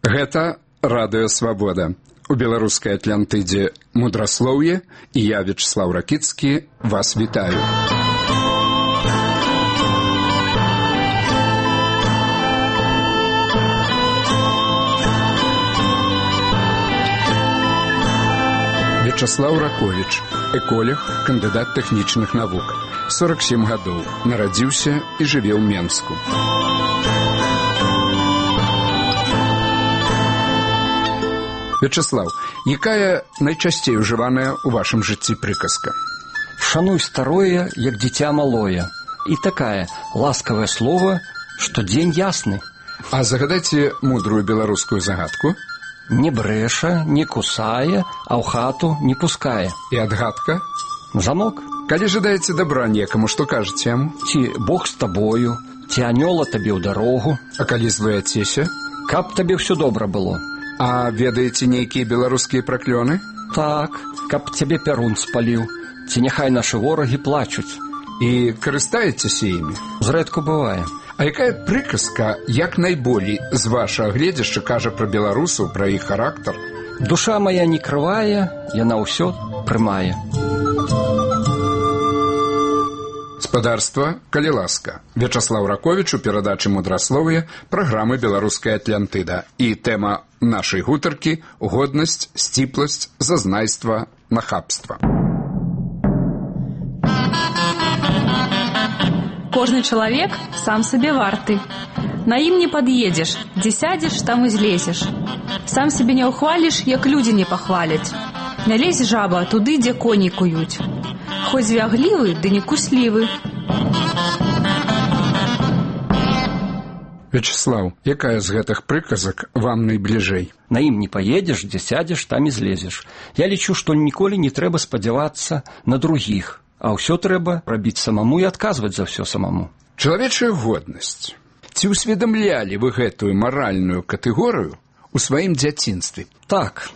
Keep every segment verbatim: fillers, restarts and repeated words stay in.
Гэта радыё Свабода. У беларускай Атлантыдзе мудраслоўе, і я, Вячеслав Ракіцкі, вас вітаю. Вячеслав Раковіч, эколог, кандыдат тэхнічных навук. сорок сем гадоў, нарадзіўся і жыве ў Менску. Вячеслав, якая найчасцей ужываная ў вашым жыцці прыказка? Шануй старое, як дзіця малое. І такая ласкавае слово, што дзень ясны. А загадайце мудрую беларускую загадку. Не брэша, не кусае, а ў хату не пускае. І адгадка? Замок. Калі жадаеце дабра некаму, што кажаце яму? Ці Бог з табою, ці анёла табе ў дарогу. А калі злуяцеся? Каб табе ўсё добра было. А ведаеце нейкія беларускія праклёны? Так, каб цябе пярун спаліў, ці няхай нашы ворагі плачуць. І карыстаецеся імі? Зрэдку бывае. А якая прыказка, як найболей з вашага гледзяшча кажа пра беларусаў, пра іх характар? Душа моя не крывая, яна ўсё прымае. Спадарства, калі ласка. Вячеслав Раковіч у перадачы мудраслов'я праграмы «Беларуская Атлантыда». І тэма нашай гутаркі – годнасць, сціпласць, зазнайства, нахабства. Кожны чалавек сам сабе варты. На ім не пад'едзеш, дзе сядзеш, там і злезеш. Сам сябе не ўхваліш, як людзі не пахваляць. Не лезь жаба туды, дзе коні куюць. Хоць звяглівы, ды не куслівы. Вячеслав, якая з гэтых прыказак вам найбліжэй? На ім не паедзеш, дзе сядзеш, там і злезеш. Я лічу, што ніколі не трэба спадзявацца на другіх, а ўсё трэба рабіць самому і адказваць за ўсё самому. Чалавечая годнасць. Ці ўсведамлялі вы гэтую маральную катэгорыю у сваім дзяцінстве? Так.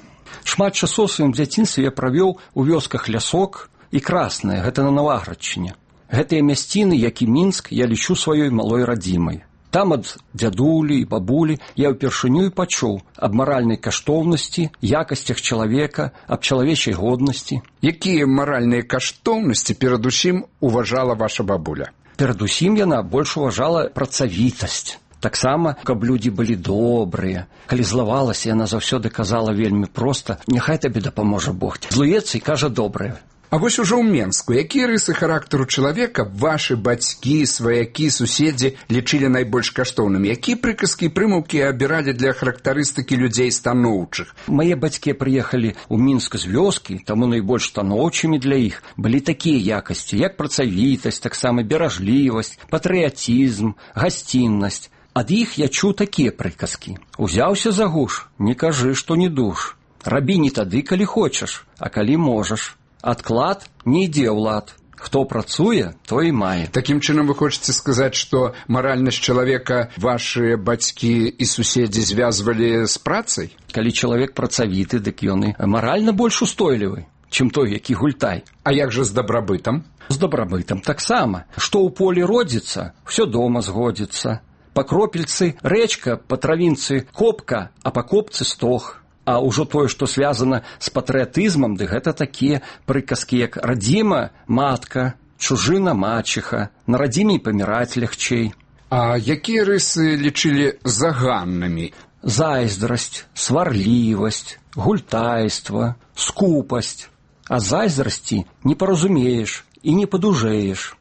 Шмат часоў у сваім дзяцінстве я правёў у вёсках Лясок і Краснае, гэта на Наваградчыне. Гэтыя мясціны, як і Мінск, я лічу сваёй малой радзімай. Там ад дзядулі і бабулі я ўпершыню і пачуў аб маральнай каштоўнасці, якасцях чалавека, аб чалавечай годнасці. Якія маральныя каштоўнасці перадусім уважала ваша бабуля? Перадусім яна больш уважала працавітасць. Таксама, каб людзі былі добрыя. Калі злавалася, яна заўсёды казала вельмі проста: няхай табе дапаможа Бог. Злуецца і кажа добрае. А вось ужо ў Менску, якія рысы характару чалавека вашы бацькі, сваякі, суседзі лічылі найбольш каштоўнымі? Якія прыказкі і прымаўкі абіралі для характарыстыкі людзей станоўчых? Мае бацькі прыехалі ў Мінск з вёскі, таму найбольш станоўчымі для іх былі такія якасці, як працавітасць, таксама беражлівасць, патрыятызм, гасціннасць. Ад іх я чуў такія прыказкі. Узяўся за гуш, не кажы, што не душ. Рабі не тады, калі хочаш, а калі можаш. Адклад не ідзе ў лад. Хто працуе, той і мае. Такім чынам вы хочаце сказаць, што маральнасць чалавека вашы бацькі і суседзі звязвалі з працай? Калі чалавек працавіты, дык ён і маральна больш устойлівы, чым той, які гультай. А як жа з дабрабытам? З дабрабытам таксама. Што ў полі родзіцца, ўсё дома згодзіцца. Па кропельцы рэчка, па травінцы копка, а па копцы стог. А ўжо тое, што звязана з патрыятызмам, ды гэта такія прыказкі, як радзіма матка, чужына мачыха, на радзіме і паміраць лягчэй. А якія рысы лічылі заганнымі? Зайздрасць, сварлівасць, гультайства, скупасць. А зайздрасці не паразумееш і не падужэеш.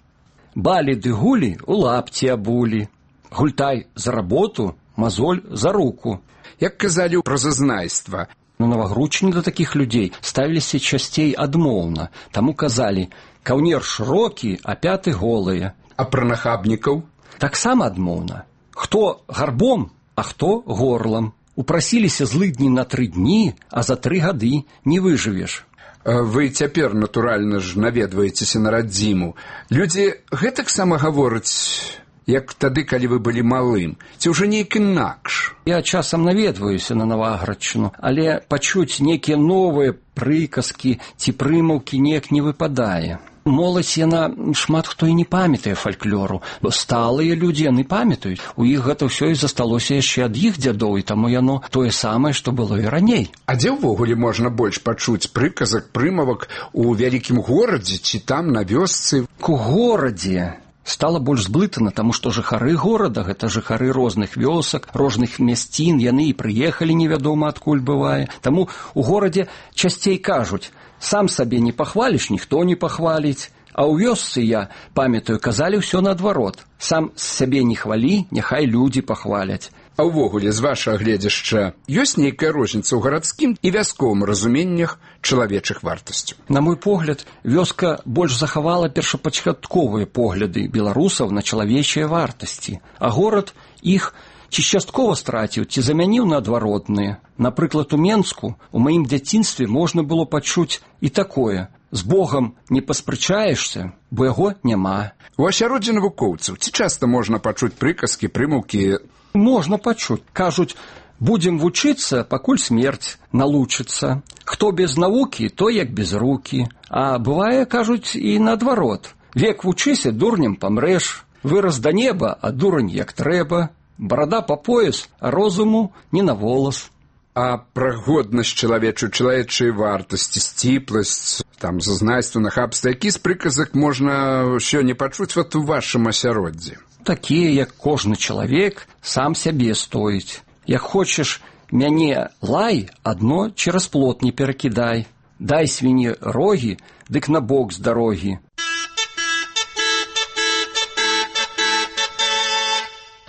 Балі ды гулі у лапці абулі. Гультай за работу, мазоль за руку. Як казалі пра зазнайства? На Навагрудчыне да такіх людзей ставіліся часцей адмоўна. Таму казалі: каўнер шырокі, а пяты голыя. А пра нахабнікаў? Таксама адмоўна. Хто гарбом, а хто горлам. Упрасіліся злыдні на тры дні, а за тры гады не выжывеш. Вы цяпер, натуральна ж, наведваецеся на радзіму. Людзі гэтаксама гавораць, як тады, калі вы былі малым, ці ўжо нейк інакш? Я часам наведваюся на Наваградчыну, але пачуць нейкія новыя прыказкі ці прымаўкі неяк не выпадае. Моладзь, яна шмат хто і не памятае фальклору. Сталыя людзі, яны памятаюць. У іх гэта ўсё і засталося яшчэ ад іх дзядоў, і таму яно тое самае, што было і раней. А дзе ўвогуле можна больш пачуць прыказак, прымавак у вялікім горадзе ці там на вёсцы? У горадзе стала больш зблытана, таму што жыхары горада, гэта жыхары розных вёсак, розных мясцін, яны і прыехалі невядома адкуль бывае. Таму у горадзе часцей кажуць: сам сабе не пахваліш, ніхто не пахваліць. А ў вёсцы, я памятаю, казалі ўсё наадварот: сам сябе не хвалі, няхай людзі пахваляць. А ўвогуле, з вашага гледзяшча, ёсць нейкая розніца ў гарадскім і вясковым разуменнях чалавечых вартасцяў? На мой погляд, вёска больш захавала першапачатковыя погляды беларусаў на чалавечыя вартасці, а горад іх ці часткова страціў, ці замяніў на адваротныя. Напрыклад, у Менску у маім дзяцінстве можна было пачуць і такое: з Богам не паспрачаешся, бо яго няма. У асяроддзі навукоўцаў ці часта можна пачуць прыказкі, прымаўкі? Можна пачуць. Кажуць: будзем вучыцца, пакуль смерць налучыцца. Хто без навукі, то як без рукі. А бывае, кажуць, і наадварот: век вучыся, дурнем памрэш. Вырас да неба, а дурань як трэба. Барада па пояс, а розуму не на волас. А пра годнасць чалавечую, чалавечыя вартасці, сціпласць, там, зазнайства, нахабства, які з прыказак можна сёння пачуць вот у вашым асяроддзі? Такія, як кожны чалавек сам сябе стоіць. Як хочаш мяне лай, адно цераз плот не перакідай. Дай свіні рогі, дык на бок з дарогі.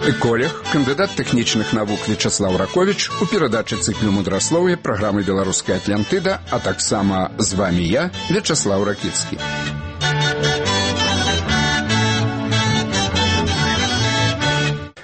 Эколог, кандыдат тэхнічных навук Вячаслаў Раковіч у перадачы цыклу мудраслоўя праграмы «Беларуская Атлантыда», а таксама з вамі я, Вячаслаў Ракіцкі.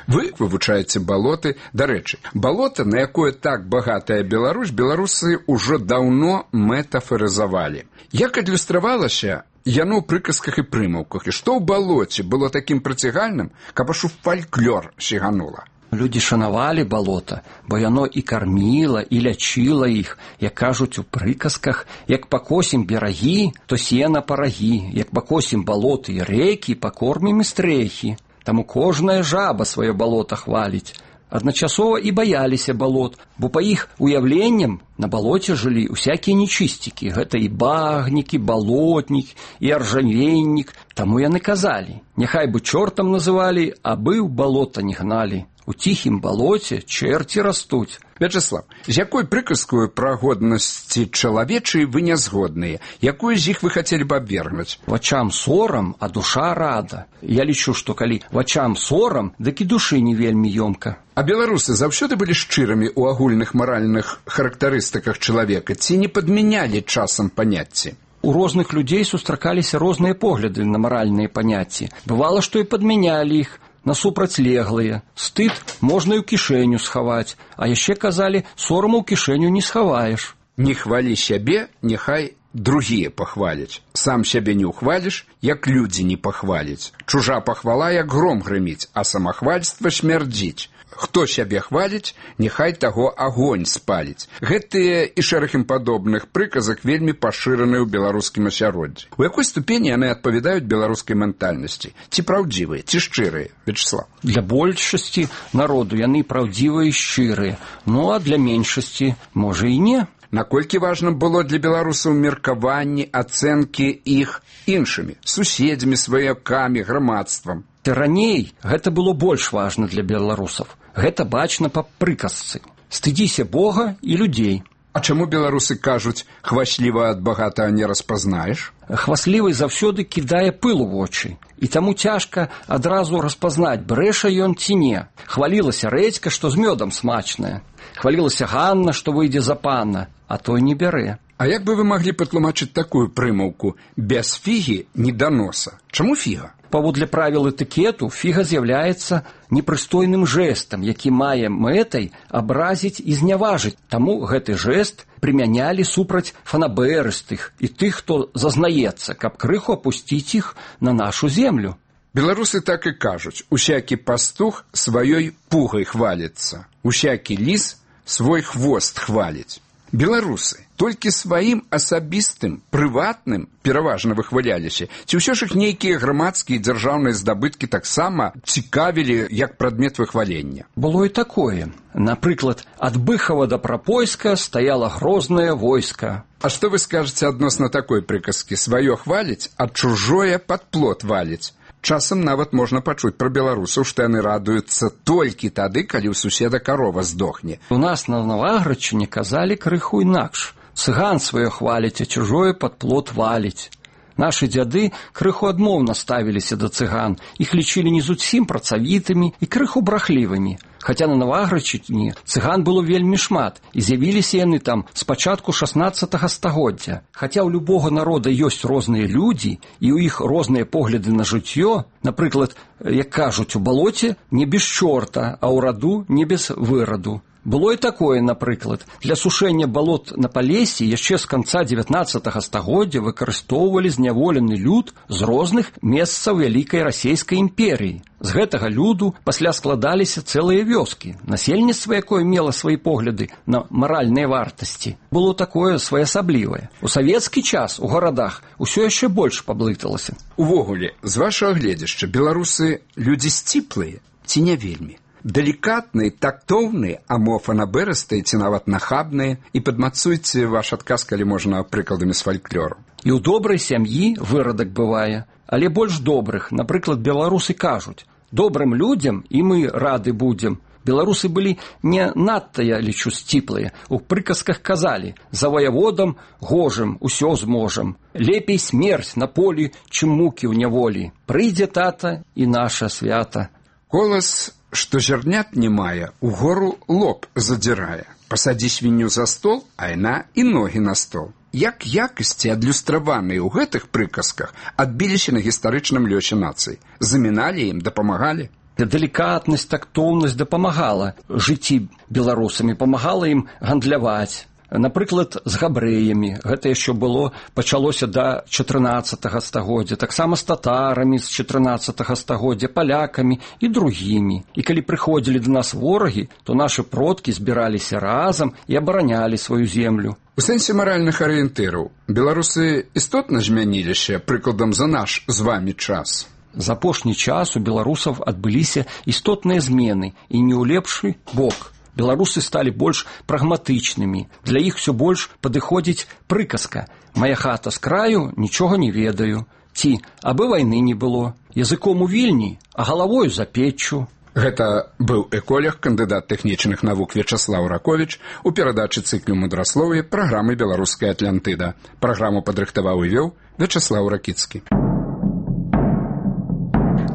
Вы вывучаеце балоты. Дарэчы, балота, на якое так багатая Беларусь, беларусы ўжо даўно метафарызавалі. Як адлюстравалася яно ў прыказках і прымаўках, і што ў балоце было такім прыцягальным, каб аж у фальклор сіганула? Людзі шанавалі балота, бо яно і карміла, і лячыла іх. Як кажуць у прыказках: як пакосім берагі, то сена парагі, як пакосім балоты і рэкі, пакормім і стрэхі. Таму кожная жаба сваё балота хваліць. Адначасова і баяліся балот, бо па іх уяўленням на балоце жылі усякія нечысцікі. Гэта і багнік, і балотнік, і аржавеннік. Таму яны казалі: няхай бы чортам называлі, а бы ў балота не гналі. У ціхім балоце чэрці растуць. Вячаслав, з якой прыказкою пра годнасці чалавечай вы не згодныя? Якую з іх вы хацелі б абвергнуць? Вачам сорам, а душа рада. Я лічу, што калі вачам сорам, дык і душы не вельмі ёмка. А беларусы заўсёды былі шчырымі ў агульных маральных характарыстыках чалавека, ці не падмянялі часам паняцці? У розных людзей сустракаліся розныя погляды на маральныя паняцці. Бывала, што і падмянялі іх на супрацьлеглыя. Стыд можна і ў кішэню схаваць, а яшчэ казалі: сораму ў кішэню не схаваеш. Не хвалі сябе, няхай другія пахваляць. Сам сябе не ўхваліш, як людзі не пахваляць. Чужа пахвала, як гром грыміць, а самахвальства смярдзіць. Хто сябе хваліць, няхай таго агонь спаліць. Гэтыя і шэраг ім падобных прыказак вельмі пашыраныя ў беларускім асяроддзі. У якой ступені яны адпавядаюць беларускай ментальнасці? Ці праўдзівыя, ці шчырыя, Вячаслав? Для большасці народу яны праўдзівыя і шчырыя, ну а для меншасці, можа, і не. Наколькі важна было для беларусаў меркаванні, ацэнкі іх іншымі, суседзямі, сваякамі, грамадствам? Раней гэта было больш важна для беларусаў. Гэта бачна па прыказцы: стыдзіся Бога і людзей. А чаму беларусы кажуць: хвасліва ад багатага не распазнаеш? Хваслівы заўсёды кідае пыл у вочы, і таму цяжка адразу распазнаць, брэша ён ці не. Хвалілася рэдзька, што з мёдам смачная. Хвалілася Ганна, што выйдзе за пана, а той не бярэ. А як бы вы маглі патлумачыць такую прымаўку: без фігі не да носа? Чаму фіга? Паводле правіл этыкету, фіга з'яўляецца непрыстойным жэстам, які мае мэтай абразіць і зняважыць. Таму гэты жэст прымянялі супраць фанабэрыстых і тых, хто зазнаецца, каб крыху апусціць іх на нашу землю. Беларусы так і кажуць: усякі пастух сваёй пугай хваліцца, усякі ліс свой хвост хваліць. Беларусы толькі сваім асабістым, прыватным пераважна выхваляліся, ці ўсё ж іх нейкія грамадскія і дзяржаўныя здабыткі таксама цікавілі як прадмет выхвалення? Было і такое. Напрыклад, ад Быхова да Прапойска стаяла грознае войска. А што вы скажаце адносна такой прыказкі? Сваё хваліць, а чужое пад плот валіць. Часам нават можна пачуць пра беларусаў, што яны радуюцца толькі тады, калі ў суседа карова здохне. У нас на Наваградчыне казалі крыху інакш. Цыган сваё хваліць, а чужое пад плот валіць. Нашы дзяды крыху адмоўна ставіліся да цыган. Іх лічылі не зусім працавітымі і крыху брахлівымі. Хаця на Наваградчыне цыган было вельмі шмат, і з'явіліся яны там з пачатку шаснаццатага стагоддзя. Хаця ў любога народа ёсць розныя людзі, і ў іх розныя погляды на жыццё, напрыклад, як кажуць, у балоце не без чорта, а ў раду не без выраду. Было і такое, напрыклад, для сушэння балот на Палесе яшчэ з канца дзевятнаццатага стагоддзя выкарыстоўвалі зняволены люд з розных месцаў вялікай расійскай імперіі. З гэтага люду пасля складаліся цэлыя вёскі, насельніцтва якое мела свае погляды на маральныя вартасці. Было такое своеасаблівае. У савецкі час у гарадах усё яшчэ больш паблыталася. Увогуле, з вашага гледзяшча, беларусы людзі сціплыя ці не вельмі? Далікатныя, тактоўныя, amo фанабэрыстыя ці нават нахабныя? І падмацуйце ваш адказ, калі можна, прыкладамі з фальклору. І ў добрай сям'і вырадак бывае, але больш добрых. Напрыклад, беларусы кажуць: добрым людзям і мы рады будзем. Беларусы былі не надта, я лічу, сціплыя. У прыказках казалі: за ваяводам гожым усё зможам. Лепей смерць на полі, чым мукі ў няволі. Прыйдзе тата і наша свята. Колас, што зярнят не мае, угору лоб задзірае. Пасадзі свінню за стол, а яна і ногі на стол. Як якасці, адлюстраваныя ў гэтых прыказках, адбіліся на гістарычным лёсе нацыі? Заміналі ім, дапамагалі? Далікатнасць, тактоўнасць дапамагала жыцці беларусамі, памагала ім гандляваць. Напрыклад, з габрэямі. Гэта яшчэ было, пачалося да чатырнаццатага стагоддзя. Таксама з татарамі з чатырнаццатага стагоддзя, палякамі і другімі. І калі прыходзілі да нас ворагі, то нашы продкі збіраліся разам і абаранялі сваю землю. У сэнсе маральных арыентыраў беларусы істотна змяніліся, прыкладам, за наш з вамі час? За апошні час у беларусаў адбыліся істотныя змены, і не ў лепшы бок. Беларусы сталі больш прагматычнымі. Для іх усё больш падыходзіць прыказка: «Мая хата з краю, нічога не ведаю». Ці «Абы вайны не было». Языком у Вільні, а галавою за печчу. Гэта быў эколог, кандыдат тэхнічных навук Вячаслаў Раковіч у перадачы цыклю мудраслов'я праграмы «Беларуская Атлантыда». Праграму падрыхтаваў і вёў Вячаслаў Ракіцкі.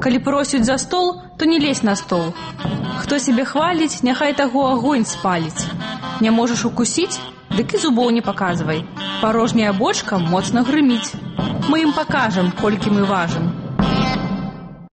Калі просяць за стол, то не лезь на стол. Хто сябе хваліць, няхай таго агонь спаліць. Не можаш укусіць, дык і зубоў не паказвай. Парожняя бочка моцна грыміць. Мы ім пакажам, колькі мы важым.